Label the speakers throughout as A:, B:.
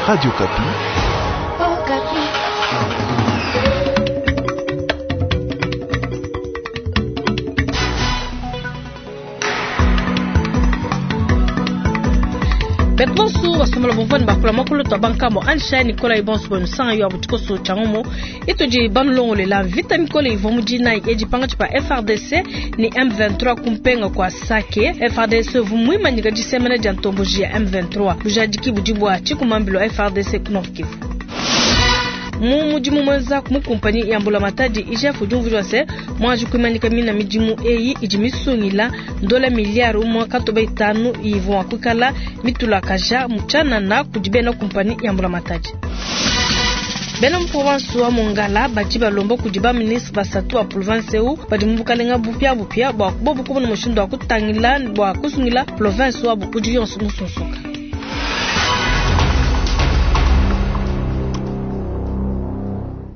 A: Radio Okapi.
B: Beto bonso basomela bumvua bakula makulu tua bankamo ansha nikola ibonso bwa yo abutikoso changomo itudi banulongolela mvita mikole ivua mu dinayi edi pangatshi pa FRDC ni M23 kumpenga kwa Sake. FRDC uvua muimanyika disemena dia ntomboji ya M23 bujadiki budi bua tshikumambilo FRDC ku Nord Kivu. Mu mudimu muenza mu kumpanyi ya mbulamatadi IGF udi umvuija se muanji kuimanyika mina midimu eyi idi misungila ndola miliyari umue katoba itanu ivua mua kuikala mitulakaja mu tshianana kudi bena kumpanyi ya mbulamatadi. Bena mu province wa Mongala badi balomba kudi ba ministre basatu wa province eu badi mu bukalenga bupiabupia bua bobu kubona mushindu wa kutangila bua kusungila province wabu udi yonso musunsuka.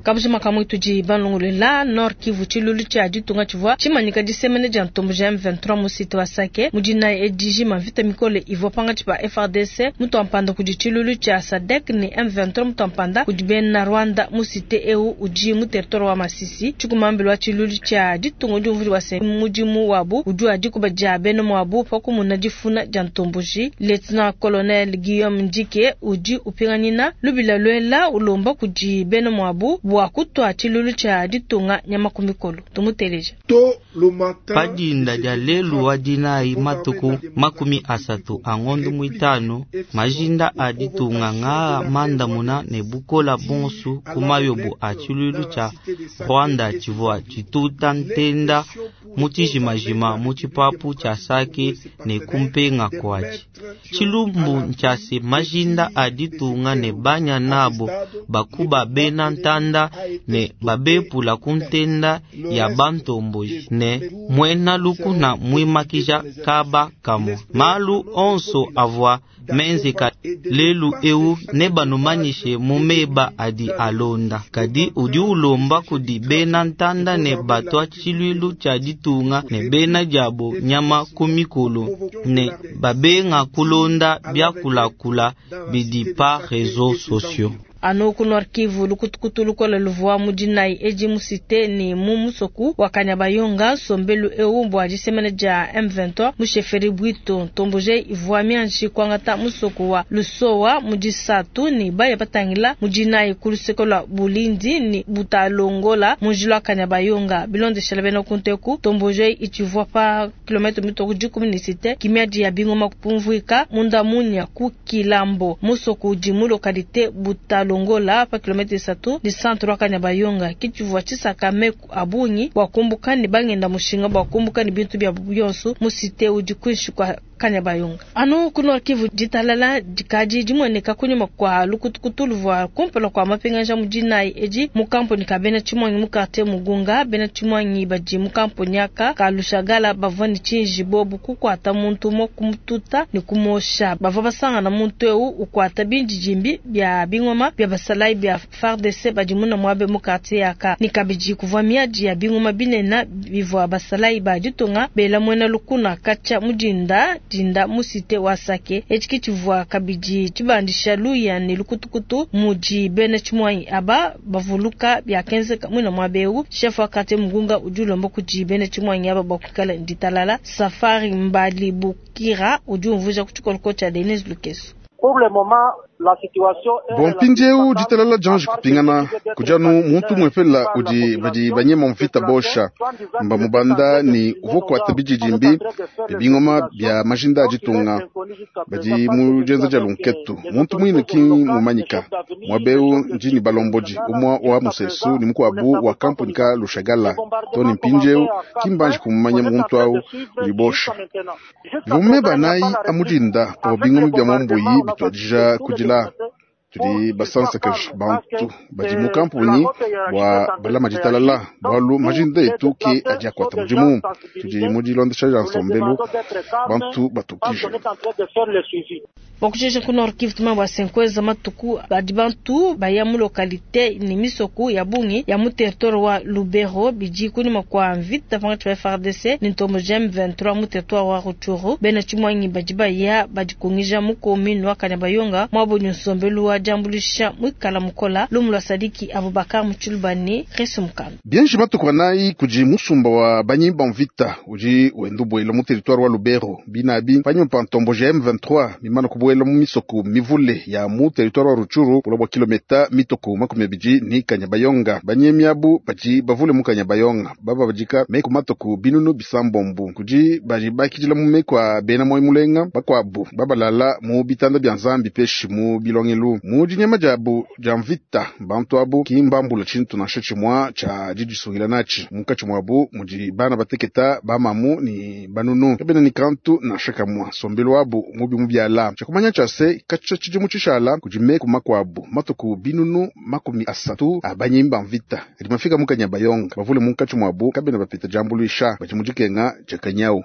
B: Kabujima kamwe tudi banlongolela Nord Kivu tshilulu tshia ditunga tshivua tshimanyika disemene dia ntombo ja M23 mu site wa Sake mu dinayi edi mvita mikole ivua pangatshi pa FARDC mutu kudi tshilulu tshia SADC ne M23 mutu kudi bena Rwanda mu site eu udi mu territoire wa Masisi. Tshikumambilo wa tshilulu tshia ditunga udi umvua wa se mudimu wabu udi wa dikuba dia bena muabu pa kumuna difuna dia ntomboji. Lieutenant Colonel Guillaume Ndike udi upinganyina lubila lwela ulomba kudi bena muabu bua kutwa tshilulu tshia ditunga nyama ku mikolo. Tumuteleja.
C: Padinda dia lelu wa dinayi matuku 30 a ngondo mwitano majinda a ditunga ngaa mandamuna ne bukola bonsu ku mayobo a tshilulu tshia Rwanda tshivua tshituta ntenda mu tshijimajima mu tshipapu tshia Sake ne kumpenga kuatshi. Tshilumbu ntshia majinda a ditunga ne banya nabo bakuba bena ntanda ne babepula ku ntenda ya bantomboji ne mwena lukuna mwimakija kaba kamwe. Malu onso avua menzeka lelu eu ne banumanyishe mu meba adi alonda. Kadi udi ulomba kudi bena ntanda ne batwa tshilulu tshia ditunga ne bena diabo nyama ku mikolo ne babenga kulonda biakulakula bidi pa réseaux sociaux.
B: Anu ku Nord Kivu lukutukutu lukole luvua mu dinayi edi mu site ne mu musoku wa Kanyabayonga nsombelu eu bua disemena dia M23 mu chefferie Bwito. Ntomboje ivua mianji kuangata musoku wa Lusowa mu disatu ne baya batangila mu dinayi ku luseke lua Bulindi ne Butalongola mu njila wa Kanyabayonga. Bilondeshela bena kunteku ntomboje itshivua pa kilometre mitoku dikumi ne site kimiadi ya bingoma kupumvuika munda munya ku Kilambo musoku udi mu localité Butalongola longola pa kilometre isatu ni centre wa Kanyabayonga. Kitshivua tshisaka meku abungi bua kumbuka ne bangenda mushinga bua kumbuka ne bintu bia bionso mu site udi kuinshi kwa Kanyabayonga. Anu ku Nord Kivu ditalala dikadi dimueneka kunyima kwa lukutukutu luvua kumpala kwa mapingaja mu dinayi edi mu kampuni ka bena Tshimwangi mu quartier Mugunga. Bena Tshimwangi badi mu kampuni aka ka Lushagala bavua ne tshinji bobu kukuata muntu umue kumututa ne kumosha. Bavua basangana muntu eu ukuata bindidimbi bia bingoma bia basalayi bia FARDC badi muna muabe mu quartier aka. Ni kabidi kuvua miadi ya bingoma binene bivua basalayi ba ditunga bela muena lukuna katshia mudinda dinda mu site wa Sake. Etshi tshivua kabidi tshibandisha luya ne lukutukutu mudi bena Tshimwangi aba bavuluka biakenzeka muina muabe eu. Chef wa quartier Mugunga udi ulomba kudi bena Tshimwangi aba bua kuikala ditalala. Safari Mbali Bukira udi umvuija ku tshikoloko tshia Denise Lukeso.
D: Bon mpindieu ditalala dianji kupingana kudianu muntu mwepela udi badi banyema mvita bosha mba mubanda ni uvua kuata bididimbi bia bingoma bia majinda a ditunga badi mu dienza dia lunketu muntu muine ki mumanyika muabeu ndi ni balombodi umua wa musesu ni mukuabu wa kampuni ka Lushagala to ni mpindieu kimbanji kumumanya muntu au udi bosha bivume banayi amudinda pavua bingoma bia mambuyi bituadija kudila tudi basansakaji bantu badi mu kampuni bua balama ditalala bualu majinda etu ke adi akuata mudimu tudi mu dilondesha dia nsombelu bantu batukije.
B: Bakushesha ku Nord Kivu tuma bua senkweza matuku badi bantu baya mu localité ni misoku ya bungi ya mu territoire wa Lubero bidi kunyima kwa mvita pangatshi pa FARDC ni ntombo M23 mu territoire wa Rutshuru. Bena Tshimwangi badi baya badikungija mu commune wa Kanyabayonga mwabo ni nsombelu wa wa diambuluisha muikala mukola. Lumu lua Sadiki Abubakar mu Tshiluba ne Chris Mukand.
D: Bienji matuku anayi kudi musumba wa banyi ba mvita udi wenda ubuela mu territoire wa Lubero binabi panyima pa ntomboji ya M23 mimana kubuela mu misoko mivule ya mu territoire wa Rutshuru bula bua kilometa mitoko 20 ni Kanyabayonga. Banyemi abu badi bavule mu Kanyabayonga baba badika meku matuku binunu bisambombu kudi badi bakidila mu meku a bena moyo mulenga bakuabu babalala mu bitanda bia Nzambi peshi mu bilongelu mu dinyema diabu dia mvita. Bantu abu ki mbambula tshintu nansha tshimua tshia didisungila natshi munkatshi muabu mudi bana bateketa bamamu ni banunu kabena ni kantu nansha kamua. Nsombelu wabu mubi mubiala tshiakumanya tshia se katshia tshidimu tshishala kudi meku makuabu matuku binunu 30 a banyimba mvita adi mafika mu Kanyabayonga bavule munkatshi muabu kabena bapeta diambuluisha badi mu dikenga dia kanyau.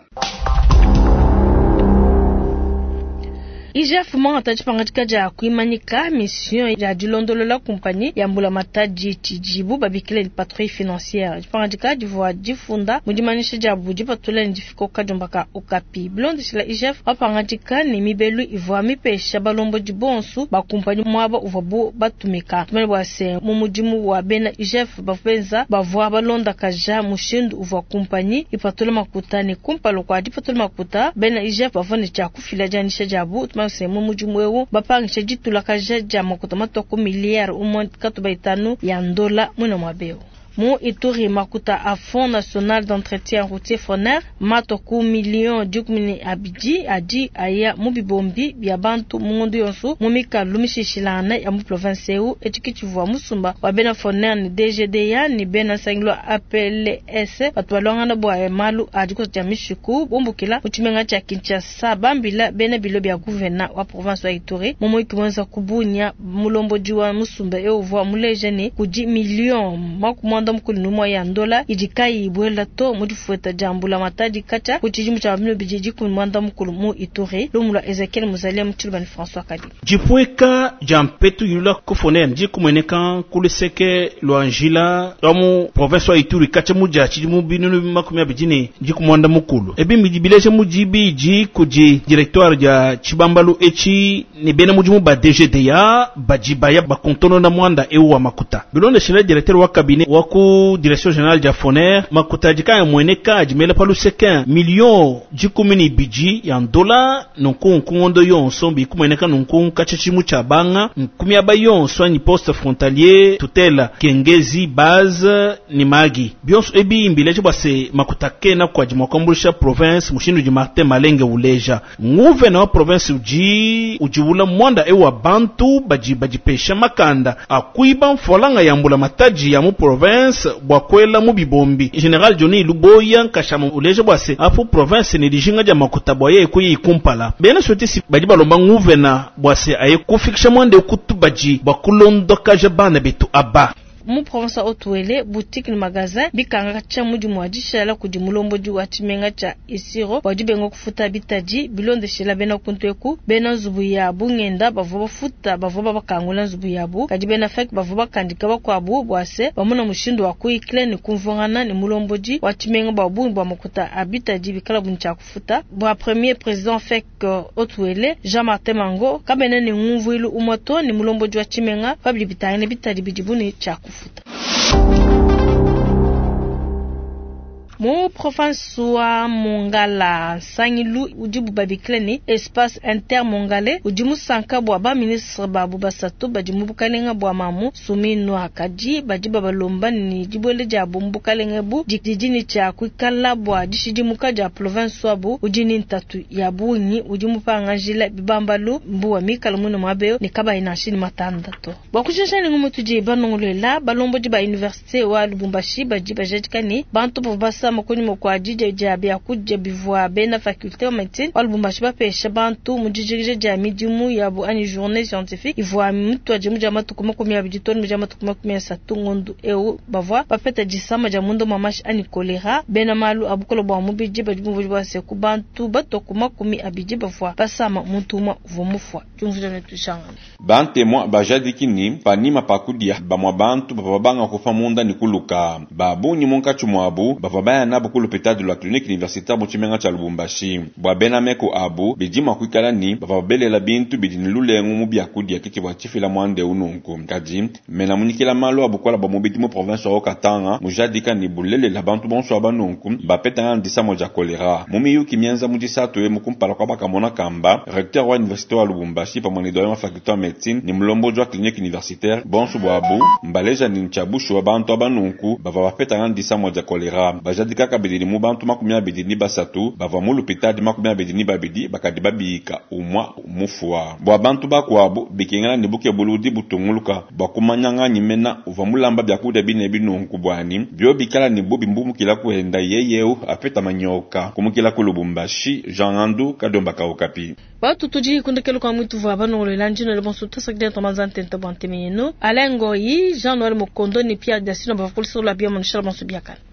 B: IGF mwangata tshipangadika dia kuimanyika mission ya dilondolola kumpanyi ya mbulamatadi tshidibu babikile patrouille financière. Tshipangadika divua difunda mu dimanyisha diabu dipatula ne difikoka diombaka okapi. Bilondeshila IGF bapangadika ne mibelu ivua mipesha balombodi bonso ba kumpanyi muaba uvuabu batumika. Tumanye bua se mu mudimu wa bena IGF bapenza bavua balondakaja mushindu uvua kumpanyi ipatula makuta ne kumpala kua dipatula makuta bena IGF bavua ne tshia kufila dianyisha diabu. Mu mudimu eu bapangisha ditulakaja dia makuta matoko miliyari umwe katuba itanu ya ndola mwina mwabeo. Mu Ituri makuta a Fonds national d'entretien routier FONER matoku million 12 adi aya mu bibombi bya bantu mu ngondo yonso mu mikalu mishishilana ya mu province eu etshikitshivua musumba wa bena FONER ni DGDA ni bena nsangilo APLS batu balongana bua malu adi kotya mishiku bumbukila mu tshimenga tshia Kinshasa bambila bena bilo bya gouverneur wa province wa Ituri mu muiki mwenza kubunya mulombodi wa musumba eu uvua muleja ne kudi million makumwa mukulu numwa ya ndola idikai ibwela to mu difueta dia mbulamatadi katshia ku tshidimu tshia 2010 mukulu mu Ituri. Lumu lua Ezekiel Muzalia mu Tshiluba ne François Kadi.
A: Dipweka dia mpetu yulula kufonea ndi kumueneka kuluseke lua njila lwa mu province wa Ituri katshia mu dia tshidimu 2020 mukulu. Ebi mbidi bileja mu dibidi kudi directoire dia tshibambalu etshi ne bena mudimu ba DGDA badi baya bakontonona mwanda eu wa makuta. Bilondeshela directeur wa cabinet wa ku direction générale dia FONER makuta adi kaya mueneka adi mela pa luseke million 12 ya ndola nunku nkungondo yonso bikumueneka nunku katshia tshimu tshia banga nkumi aba yonso anyi poste frontalier tutela kengezi base ni magi bionso ebi mbileje bua se makuta kena kuadi mua kuambuluisha province mushindu di Martin Malenge uleja nguvena wa province udi udiwula mwanda eu wa bantu badi badipesha makanda akuiba mfolanga ya mbula mataji ya mu province bua kwela mu bibombi. General Johnny Luboya nkashama uleja bua se apu province ni dijinga dia makuta bua yeye kuyi kumpala bena sotisi badi balomba nguvena bua se aye kufikisha mwanda kutu badi bua kulondokaja bana betu aba.
B: Mu province wa Haut-Uele boutique ni magasin bikanga tshia mudimu wa dishala kudi mulombodi wa tshimenga tshia Isiro bua dibenga kufuta bitadi bilondeshela bena kuntu eku bena nzubu ya bungenda bavua bafuta bavua babakangula nzubu yabu kadi bena fek bavua bakandika bakuabu bua se bamuna mushindu wa kuyikila ne kumvuangana ne mulombodi wa tshimenga bua bungi bua makuta a bitadi bikala buni tshia kufuta. Bua premier président fek Haut-Uele Jean-Martin Mango kabena ne ngumvuilu umue to ne mulombodi wa tshimenga pabidi bitangile bitadi bidi buni tshia kufuta. Mu province wa Mongala Nsangilu udibu babikile ne espace intermongale udi musanka bua ba ministre babu basatu badi mu bukalenga bua mamu Suminwa kadi badi babalomba ne dibuele diabu mu bukalenga bu didi ne tshia kuikala bua dishidimuka dia province wabu udi ne ntatu ya bungi udi mupangajila bibambalu mbuwa mikala muine muabeyo ne kabayi nansha ne matanda to. Bua kushesha ne ngumu tudi banongolola balombodi ba université wa Lubumbashi badi bajadika ne bantu bavua basama kunyima kua didia dia biakudia bivua bena faculté wa médecine wa Lubumbashi bapesha bantu mu dijikija dia midimu yabu anyi journée scientifique ivua mutuadi mu dia matuku 20 tonu mu dia matuku 30 ngondu eu bavua bapeta disama dia munda mua mashi anyi kolera. Bena malu abukolo bua mubidi badi bumvua bua se ku bantu batoku 20 bavua basama muntu umue uvua mufua. Diumvuija ne tushangana.
E: Bantemwa bajadiki ni panima pakudia bamwa bantu bavua banga kufa munda ni kuluka babunyi munkatshi mwabu bavua baya baya nabu ku lupitadi lua clinique universitaire mu tshimenga tshia Lubumbashi. Bua bena meku abu, bidi mua kuikala ni bavua babelela bintu bidi ne lulengu mu biakudia ke tshivua tshifila muanda eu nunku. Kadi mena munyikila malu a bukola bua mubidi mu province wa Haut-Katanga mujadika ni bulelela bantu bonso aba nunku bapetangana disama dia cholera. Mu miyuki mienza mu disatu emu kumpala kua bakamona kamba, recteur wa université wa Lubumbashi pamue ne doyen wa faculté wa médecine ne mulombodi wa clinique universitaire bonso buabu mbaleja ni ntshia bushuwa bantu aba nunku bavua bapetangana disama dia cholera. Bajadika kabidi ni mu bantu 23 bavua mu lupitadi 22 bakadi babika umua mufua. Bua bantu bakuabu bikengela ni bukebuludi butunguluka bua kumanya nganyi mena uvua mulamba biakudia bine binunku buani bio bikala ni bubi mbumukila kuenda yeyeu apeta manyoka kumukila ku Lubumbashi. Jean Ngandu Kadiomba ka Okapi.
B: Batu tudi kundekelo kwa mwitu vwa banongolola njino le bonso tasakide tomanza ntente bwa ntemeno Alain Ngoyi, Jean Noël Mokondo ni Pierre Dasino bavakulisolo la bia monishala bonso biakana.